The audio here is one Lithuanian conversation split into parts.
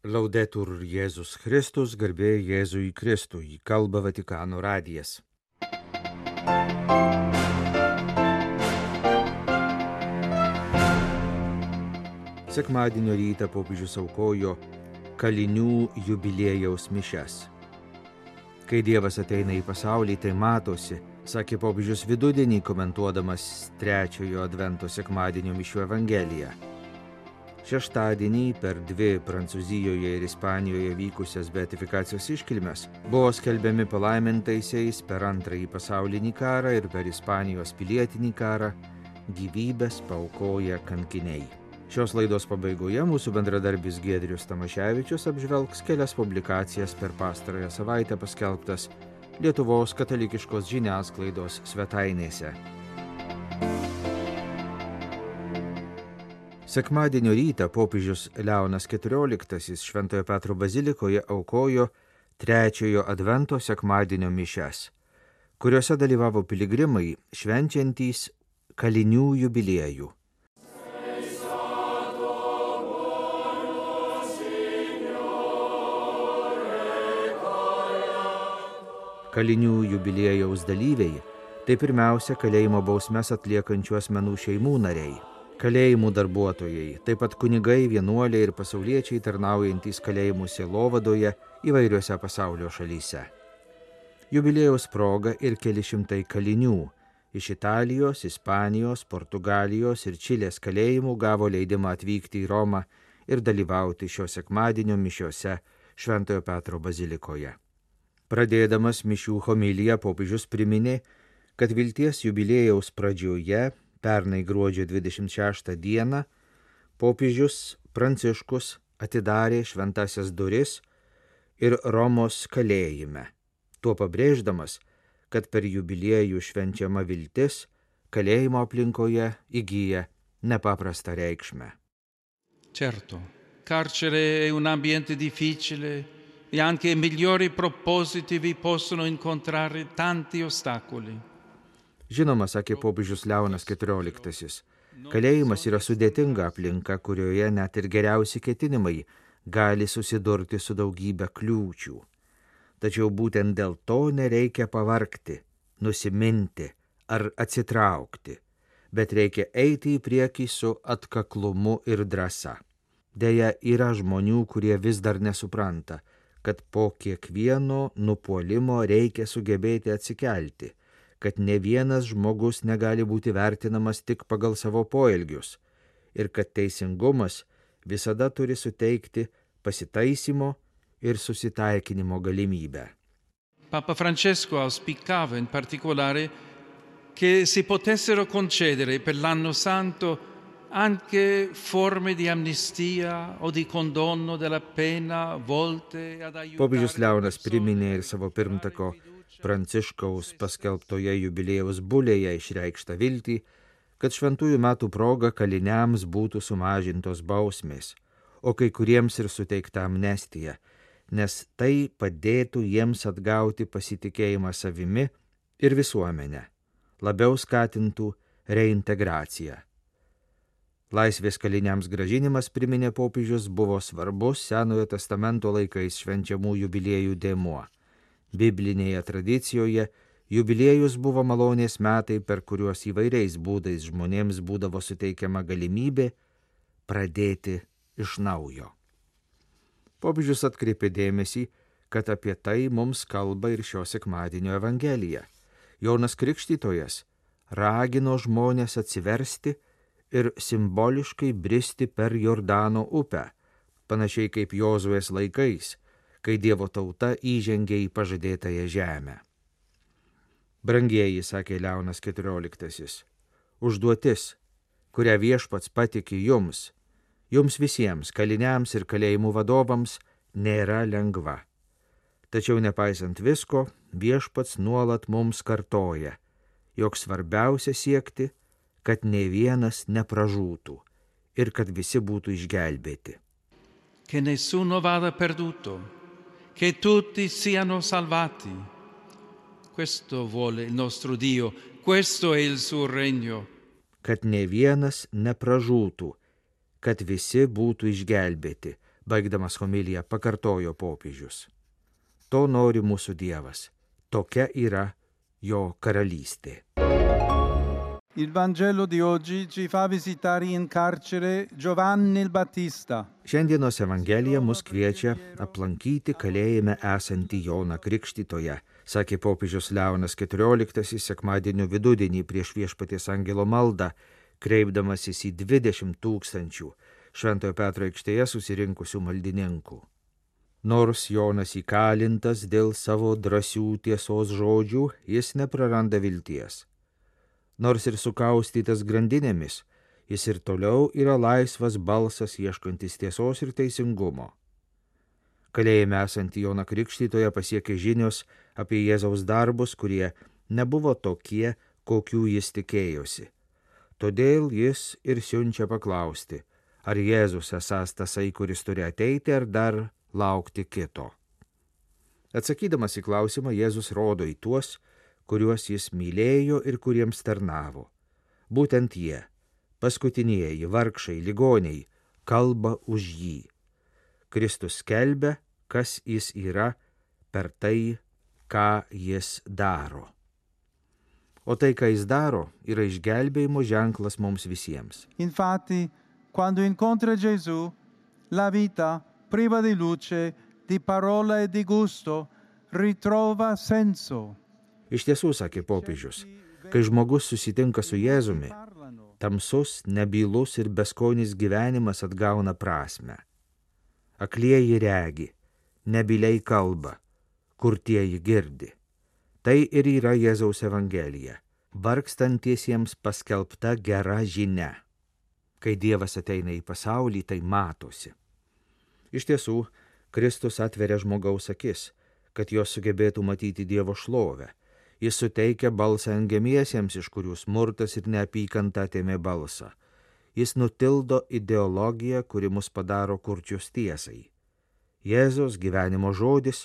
Laudetur Jėzus Kristus, garbė Jėzui Kristui, kalba Vatikano radijas. Sekmadienio rytą popiežius aukojo kalinių jubiliejaus mišias. Kai Dievas ateina į pasaulį, tai matosi, sakė popiežius vidudienį, komentuodamas trečiojo advento sekmadienio mišių evangeliją. Šeštadienį per dvi Prancūzijoje ir Ispanijoje vykusias beatifikacijos iškilmes buvo skelbiami palaimintaisiais per Antrąjį pasaulinį karą ir per Ispanijos pilietinį karą gyvybės paaukoję kankiniai. Šios laidos pabaigoje mūsų bendradarbis Giedrius Tamaševičius apžvelgs kelias publikacijas per pastarąją savaitę paskelbtas Lietuvos katalikiškos žiniasklaidos svetainėse. Sekmadienio rytą popiežius Leonas XIV Šventojo Petro bazilikoje aukojo trečiojo advento sekmadienio mišias, kuriuose dalyvavo piligrimai švenčiantys kalinių jubiliejų. Kalinių jubiliejaus dalyviai – tai pirmiausia kalėjimo bausmes atliekančių asmenų šeimų nariai. Kalėjimų darbuotojai, taip pat kunigai, vienuoliai ir pasauliečiai tarnaujantys kalėjimų sielovadoje įvairiuose pasaulio šalyse. Jubiliejaus proga ir keli šimtai kalinių iš Italijos, Ispanijos, Portugalijos ir Čilės kalėjimų gavo leidimą atvykti į Romą ir dalyvauti šio sekmadienio mišiose Šventojo Petro bazilikoje. Pradėdamas mišių homiliją popiežius priminė, kad vilties jubiliejaus pradžioje pernai gruodžio 26 dieną popiežius Pranciškus atidarė šventasias duris ir Romos kalėjime, tuo pabrėždamas, kad per jubiliejų švenčiama viltis kalėjimo aplinkoje įgyja nepaprastą reikšmę. Certo, carcere è un ambiente difficile e anche i migliori propositi vi possono incontrare tanti ostacoli. Žinoma, sakė popiežius Leonas XIV, kalėjimas yra sudėtinga aplinka, kurioje net ir geriausi ketinimai gali susidurti su daugybė kliūčių. Tačiau būtent dėl to nereikia pavargti, nusiminti ar atsitraukti, bet reikia eiti į priekį su atkaklumu ir drąsa. Deja, yra žmonių, kurie vis dar nesupranta, kad po kiekvieno nupuolimo reikia sugebėti atsikelti, kad ne vienas žmogus negali būti vertinamas tik pagal savo poelgius ir kad teisingumas visada turi suteikti pasitaisymo ir susitaikinimo galimybę. Papa Francesco auspicava in particolare che si potessero concedere per l'anno santo anche forme di amnistia o di condono della pena volte ad aiutare. Popiežius Leonas priminė ir savo pirmtako Pranciškaus paskelbtoje jubiliejaus bulėje išreikštą viltį, kad šventųjų metų proga kaliniams būtų sumažintos bausmės, o kai kuriems ir suteikta amnestija, nes tai padėtų jiems atgauti pasitikėjimą savimi ir visuomenę, labiau skatintų reintegraciją. Laisvės kaliniams grąžinimas, priminė popiežius, buvo svarbus Senojo testamento laikais švenčiamų jubiliejų dėmuo. Biblinėje tradicijoje jubiliejus buvo malonės metai, per kuriuos įvairiais būdais žmonėms būdavo suteikiama galimybė pradėti iš naujo. Popiežius atkreipė dėmesį, kad apie tai mums kalba ir šio sekmadienio evangelija. Jonas Krikštytojas ragino žmonės atsiversti ir simboliškai bristi per Jordano upę, panašiai kaip Jozuės laikais, kai Dievo tauta įžengė į pažadėtąją žemę. Brangieji, sakė Leonas XIV, užduotis, kurią Viešpats patikė jums visiems, kaliniams ir kalėjimų vadovams, nėra lengva. Tačiau nepaisant visko, Viešpats nuolat mums kartoja, jog svarbiausia siekti, kad nė vienas nepražūtų ir kad visi būtų išgelbėti. Che nessuno vada perduto, che tutti siano salvati. Questo vuole il nostro Dio, questo è il suo regno. Kad ne vienas nepražūtų, kad visi būtų išgelbėti. Baigdamas homiliją pakartojo popiežius. To nori mūsų Dievas. Tokia yra jo karalystė. Il Vangelo di oggi ci fa visitare in carcere Giovanni il Battista. Šiandienos Evangelija mus kviečia aplankyti kalėjime esantį Joną Krikštytoją, sakė popiežius Leonas XIV sekmadienio vidudienį prieš Viešpaties angelo maldą, kreipdamasis į 20 000 Šventojo Petro aikštėje susirinkusių maldininkų. Nors Jonas įkalintas dėl savo drąsių tiesos žodžių, jis nepraranda vilties. Nors ir sukaustytas grandinėmis, jis ir toliau yra laisvas balsas ieškantis tiesos ir teisingumo. Kalėjime esantį Joną Krikštytoją pasiekė žinios apie Jėzaus darbus, kurie nebuvo tokie, kokių jis tikėjosi. Todėl jis ir siunčia paklausti, ar Jėzus esąs tasai, kuris turi ateiti, ar dar laukti kito. Atsakydamas į klausimą, Jėzus rodo į tuos, kuriuos jis mylėjo ir kuriems tarnavo. Būtent jie, paskutinieji, vargšai, ligoniai, kalba už jį. Kristus skelbia, kas jis yra per tai, ką jis daro. O tai, ką jis daro, yra išgelbėjimo ženklas mums visiems. Infatti, quando incontra Gesù, la vita, priva di luce, di parola e di gusto, ritrova senso. Iš tiesų, sakė popiežius, kai žmogus susitinka su Jėzumi, tamsus, nebylus ir beskonis gyvenimas atgauna prasmę. Aklieji regi, nebyliai kalba, kurtieji girdi. Tai ir yra Jėzaus Evangelija, vargstantiesiems paskelbta gera žinia. Kai Dievas ateina į pasaulį, tai matosi. Iš tiesų, Kristus atveria žmogaus akis, kad jos sugebėtų matyti Dievo šlovę. Jis suteikia balsą engiamiesiems, iš kurių smurtas ir neapykanta atėmė balsą. Jis nutildo ideologiją, kuri mus padaro kurčius tiesai. Jėzaus gyvenimo žodis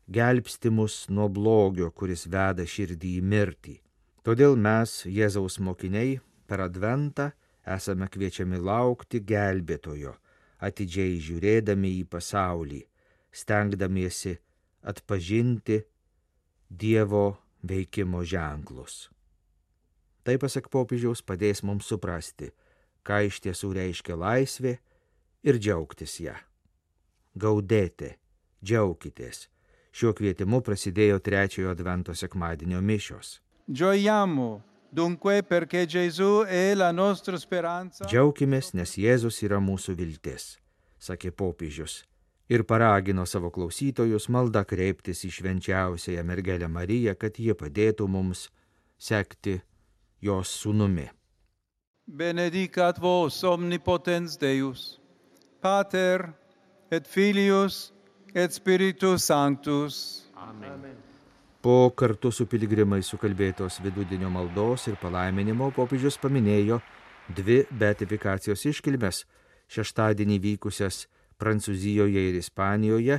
gelbsti mus nuo blogio, kuris veda širdį į mirtį. Todėl mes, Jėzaus mokiniai, per Adventą esame kviečiami laukti gelbėtojo, atidžiai žiūrėdami į pasaulį, stengdamiesi atpažinti Dievo veikimo ženklus. Tai, pasak popiežiaus, padės mums suprasti, ką iš tiesų reiškia laisvė ir džiaugtis ją. Gaudėte, džiaukitės. Šiuo kvietimu prasidėjo 3 Advento sekmadienio mišios. Gioiamo, dunque, perché Gesù è la nostra speranza. Džiaukimės, nes Jėzus yra mūsų viltis, sakė popiežius. Ir paragino savo klausytojus maldą kreiptis į švenčiausiąją mergelę Mariją, kad ji padėtų mums sekti jos sūnumi. Benedicat vos omnipotens Deus, Pater et Filius et Spiritus Sanctus. Amen. Po kartu su piligrimais sukalbėtos vidudienio maldos ir palaiminimo popiežius paminėjo 2 beatifikacijos iškilmes, šeštadienį vykusias Prancūzijoje ir Ispanijoje,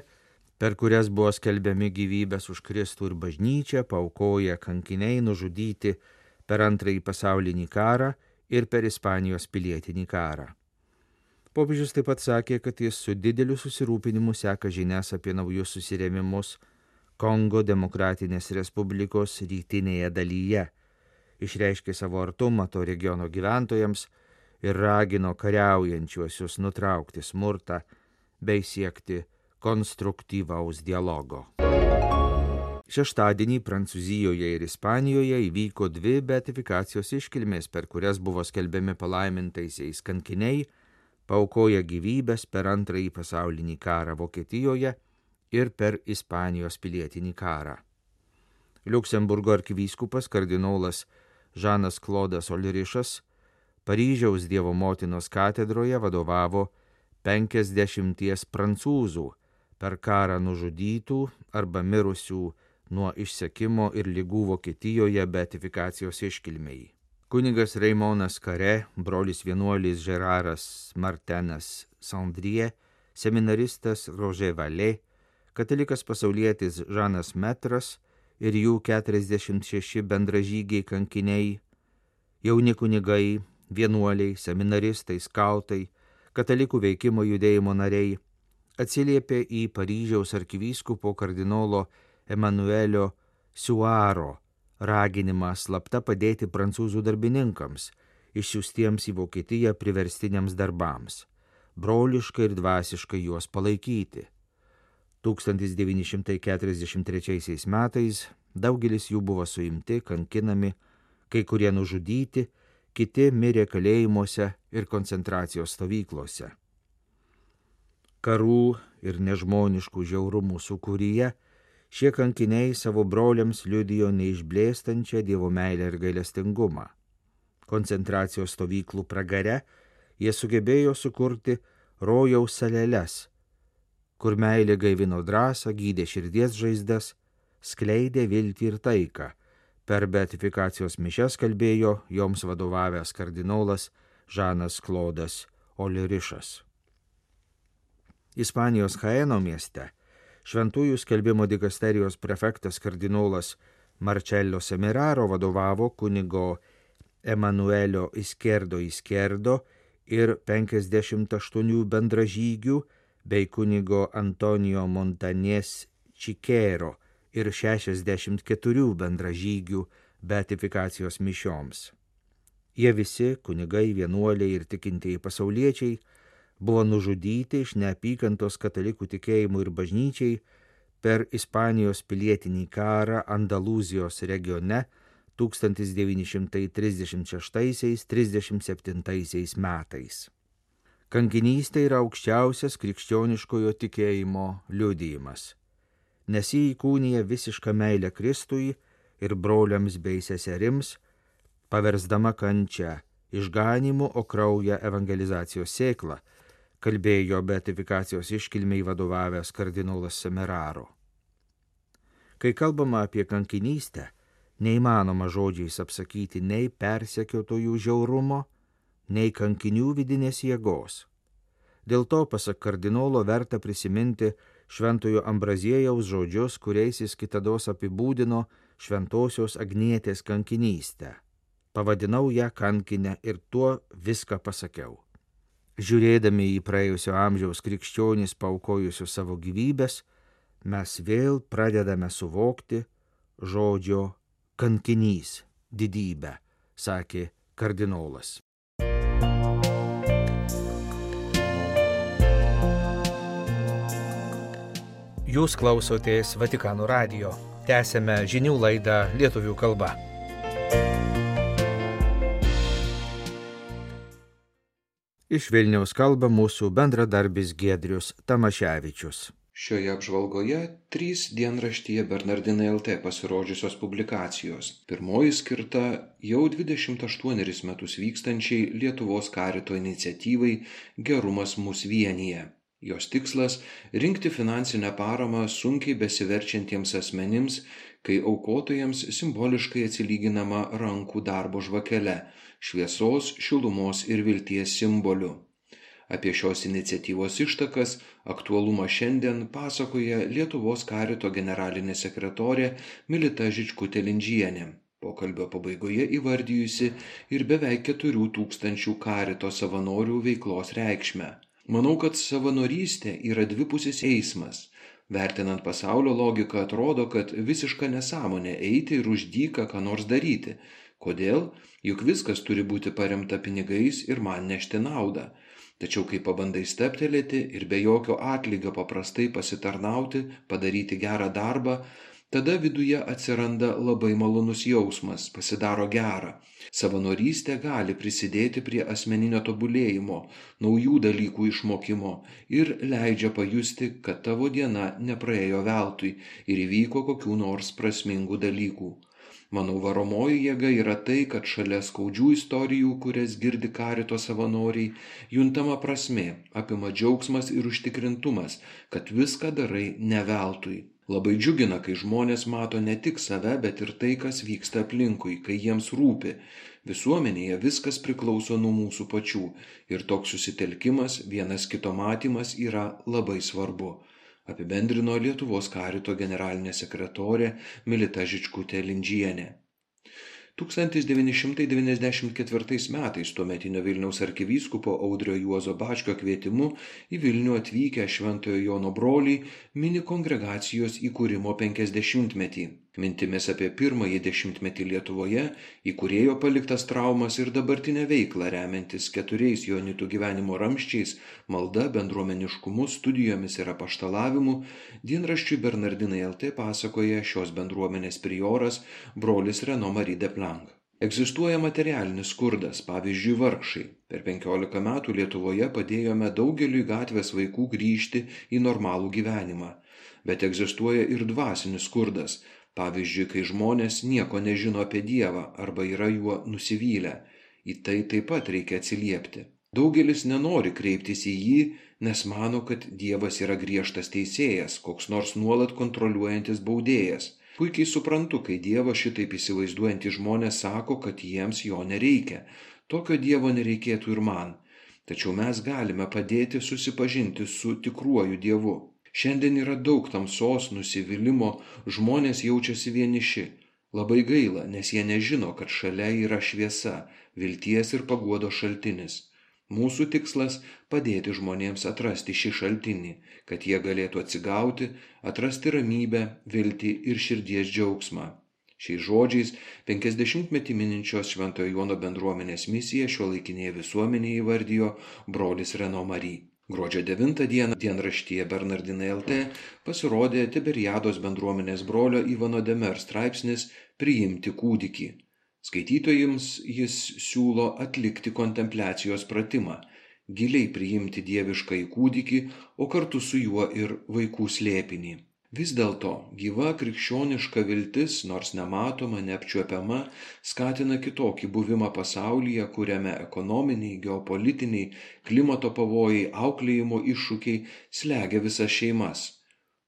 per kurias buvo skelbiami gyvybės už Kristų ir bažnyčią, paaukoję kankiniai nužudyti per Antrąjį pasaulinį karą ir per Ispanijos pilietinį karą. Popiežius taip pat sakė, kad jis su dideliu susirūpinimu seka žinias apie naujus susirėmimus Kongo Demokratinės Respublikos rytinėje dalyje, išreiškė savo artumą to regiono gyventojams ir ragino kariaujančiuosius nutraukti smurtą bei siekti konstruktyvaus dialogo. Šeštadienį Prancūzijoje ir Ispanijoje įvyko 2 beatifikacijos iškilmės, per kurias buvo skelbiami palaimintaisiais kankiniai, paaukoję gyvybės per Antrąjį pasaulinį karą Vokietijoje ir per Ispanijos pilietinį karą. Liuksemburgo arkivyskupas kardinolas Žanas Klodas Olrišas Paryžiaus Dievo motinos katedroje vadovavo 50 prancūzų per karą nužudytų arba mirusių nuo išsekimo ir ligų Vokietijoje beatifikacijos iškilmei. Kunigas Raimonas Kare, brolis vienuolis Žeraras Martenas Sandrie, seminaristas Roger Vallet, katalikas pasaulietis Žanas Metras ir jų 46 bendražygiai kankiniai, jauni kunigai, vienuoliai, seminaristai, skautai, katalikų veikimo judėjimo nariai, atsiliepė į Paryžiaus arkivyskupo kardinolo Emanuelio Suaro raginimą slapta padėti prancūzų darbininkams, išsiųstiems į Vokietiją priverstiniams darbams, broliškai ir dvasiškai juos palaikyti. 1943 metais daugelis jų buvo suimti, kankinami, kai kurie nužudyti, kiti mirė kalėjimuose ir koncentracijos stovyklose. Karų ir nežmoniškų žiaurumų sūkuryje šie kankiniai savo broliams liudijo neišblėstančią Dievo meilę ir gailestingumą. Koncentracijos stovyklų pragare jie sugebėjo sukurti rojaus saleles, kur meilė gaivino drąsą, gydė širdies žaizdas, skleidė viltį ir taiką. Per beatifikacijos mišias kalbėjo joms vadovavęs kardinolas Žanas Klodas Olirišas. Ispanijos Jaeno mieste šventųjų skelbimo dikasterijos prefektas kardinolas Marcello Semeraro vadovavo kunigo Emanuelio Izquierdo ir 58 bendražygių bei kunigo Antonijo Montanės Čikero ir 64 bendražygių beatifikacijos mišioms. Jie visi, kunigai, vienuoliai ir tikintieji pasauliečiai, buvo nužudyti iš neapykantos katalikų tikėjimui ir bažnyčiai per Ispanijos pilietinį karą Andalūzijos regione 1936–37 metais. Kankinystė yra aukščiausias krikščioniškojo tikėjimo liudijimas, nes jį įkūnija visišką meilę Kristui ir broliams bei seserims, paversdama kančią išganymu, o kraują evangelizacijos sėklą, kalbėjo beatifikacijos iškilmei vadovavęs kardinolas Semeraro. Kai kalbama apie kankinystę, neįmanoma žodžiais apsakyti nei persekiotojų žiaurumo, nei kankinių vidinės jėgos. Dėl to, pasak kardinolo, verta prisiminti šventojo Ambraziejaus žodžius, kuriais jis kitados apibūdino šventosios Agnietės kankinystę. Pavadinau ją kankinę ir tuo viską pasakiau. Žiūrėdami į praėjusio amžiaus krikščionys paaukojusius savo gyvybės, mes vėl pradedame suvokti žodžio kankinys didybę, sakė kardinolas. Jūs klausotės Vatikano radijo. Tęsiame žinių laidą lietuvių kalba. Iš Vilniaus kalba mūsų bendradarbis Giedrius Tamaševičius. Šioje apžvalgoje 3 dienraštyje Bernardinai LT pasirodžiusios publikacijos. Pirmoji skirta jau 28 metus vykstančiai Lietuvos karito iniciatyvai Gerumas mus vienija. Jos tikslas – rinkti finansinę paramą sunkiai besiverčiantiems asmenims, kai aukotojams simboliškai atsilyginama rankų darbo žvakele, šviesos, šilumos ir vilties simboliu. Apie šios iniciatyvos ištakas, aktualumą šiandien pasakoja Lietuvos karito generalinė sekretorė Milita Žičkutė-Lindžienė, pokalbio pabaigoje įvardijusi ir beveik 4000 karito savanorių veiklos reikšmę. Manau, kad savanorystė yra dvipusis eismas. Vertinant pasaulio logiką, atrodo, kad visiška nesąmonė eiti ir už dyką ką nors daryti. Kodėl? Juk viskas turi būti paremta pinigais ir man nešti naudą. Tačiau kai pabandai steptelėti ir be jokio atlygio paprastai pasitarnauti, padaryti gerą darbą, tada viduje atsiranda labai malonus jausmas, pasidaro gera. Savanorystė gali prisidėti prie asmeninio tobulėjimo, naujų dalykų išmokimo ir leidžia pajusti, kad tavo diena nepraėjo veltui ir įvyko kokių nors prasmingų dalykų. Manau, varomoji jėga yra tai, kad šalia skaudžių istorijų, kurias girdi karito savanoriai, juntama prasmė, apima džiaugsmas ir užtikrintumas, kad viską darai ne veltui. Labai džiugina, kai žmonės mato ne tik save, bet ir tai, kas vyksta aplinkui, kai jiems rūpi. Visuomenėje viskas priklauso nuo mūsų pačių ir toks susitelkimas, vienas kito matymas yra labai svarbu, apibendrino Lietuvos karito generalinė sekretorė Milita Žičkutė-Lindžienė. 1994 metais tuometinio Vilniaus arkivyskupo Audrio Juozo Bačkio kvietimu į Vilnių atvykę Šventojo Jono broliai mini kongregacijos įkūrimo 50-metį. Mintimis apie pirmąjį dešimtmetį Lietuvoje, įkūrėjo paliktas traumas ir dabartinę veiklą remiantis 4 joanitų gyvenimo ramsčiais, malda, bendruomeniškumu, studijomis ir apaštalavimu, dienraščiui Bernardinai LT pasakoja šios bendruomenės prioras brolis Renaud Marie de Planck. Egzistuoja materialinis skurdas, pavyzdžiui, vargšai. Per 15 metų Lietuvoje padėjome daugeliui gatvės vaikų grįžti į normalų gyvenimą. Bet egzistuoja ir dvasinis skurdas, pavyzdžiui, kai žmonės nieko nežino apie Dievą arba yra juo nusivylę. Į tai taip pat reikia atsiliepti. Daugelis nenori kreiptis į jį, nes mano, kad Dievas yra griežtas teisėjas, koks nors nuolat kontroliuojantis baudėjas. Puikiai suprantu, kai Dievą šitaip įsivaizduojantys žmonės sako, kad jiems jo nereikia. Tokio Dievo nereikėtų ir man. Tačiau mes galime padėti susipažinti su tikruoju Dievu. Šiandien yra daug tamsos, nusivylimo, žmonės jaučiasi vieniši. Labai gaila, nes jie nežino, kad šalia yra šviesa, vilties ir paguodos šaltinis. Mūsų tikslas – padėti žmonėms atrasti šį šaltinį, kad jie galėtų atsigauti, atrasti ramybę, viltį ir širdies džiaugsmą. Šiais žodžiais 50-metį mininčios Šventojo Jono bendruomenės misiją šiuolaikinėje visuomenėje įvardijo brolis Renaud Marie. Gruodžio 9 dieną dienraštyje Bernardinai LT pasirodė Tiberiados bendruomenės brolio Ivano de Mer straipsnis Priimti kūdikį. Skaitytojams jis siūlo atlikti kontempliacijos pratimą, giliai priimti dieviškąjį kūdikį, o kartu su juo ir vaikų slėpinį. Vis dėlto gyva krikščioniška viltis, nors nematoma, neapčiuopiama, skatina kitokį buvimą pasaulyje, kuriame ekonominiai, geopolitiniai, klimato pavojai, auklėjimo iššūkiai slegia visas šeimas.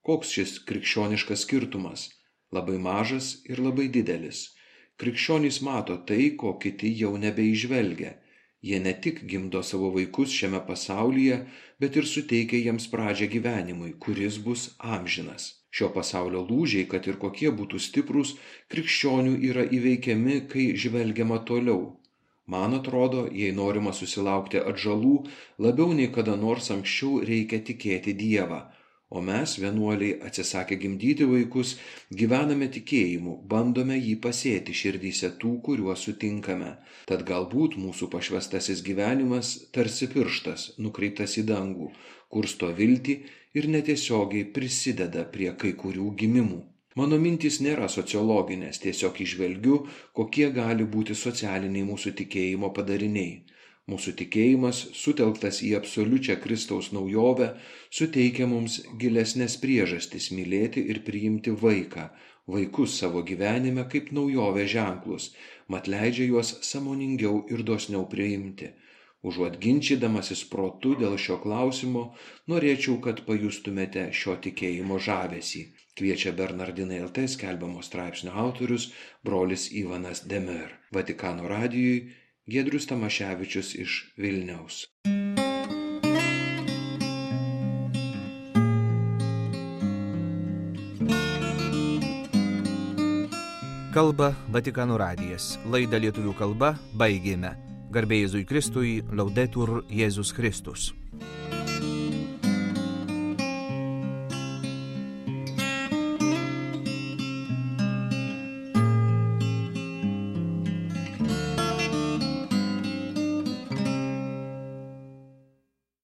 Koks šis krikščioniškas skirtumas? Labai mažas ir labai didelis. Krikščionys mato tai, ko kiti jau nebeižvelgia. Jie ne tik gimdo savo vaikus šiame pasaulyje, bet ir suteikia jiems pradžią gyvenimui, kuris bus amžinas. Šio pasaulio lūžiai, kad ir kokie būtų stiprūs, krikščionių yra įveikiami, kai žvelgiama toliau. Man atrodo, jei norima susilaukti atžalų, labiau nei kada nors anksčiau reikia tikėti Dievą. O mes, vienuoliai, atsisakę gimdyti vaikus, gyvename tikėjimu, bandome jį pasėti širdyse tų, kuriuos sutinkame. Tad galbūt mūsų pašvęstasis gyvenimas tarsi pirštas, nukreiptas į dangų, kursto viltį ir netiesiogiai prisideda prie kai kurių gimimų. Mano mintys nėra sociologinės, tiesiog įžvelgiu, kokie gali būti socialiniai mūsų tikėjimo padariniai. Mūsų tikėjimas, sutelktas į absoliučią Kristaus naujovę, suteikia mums gilesnės priežastis mylėti ir priimti vaikus savo gyvenime kaip naujovę ženklus, mat leidžia juos sąmoningiau ir dosniau priimti. Užuot ginčydamasis protu dėl šio klausimo, norėčiau, kad pajustumėte šio tikėjimo žavesį. Kviečia Bernardinai LT skelbiamo straipsnio autorius brolis Ivanas de Mer. Vatikano radijui Giedrius Tamaševičius iš Vilniaus. Kalba Vatikano radijas. Laidą lietuvių kalba baigėme. Garbė Jėzui Kristui, Laudetur Jėzus Kristus.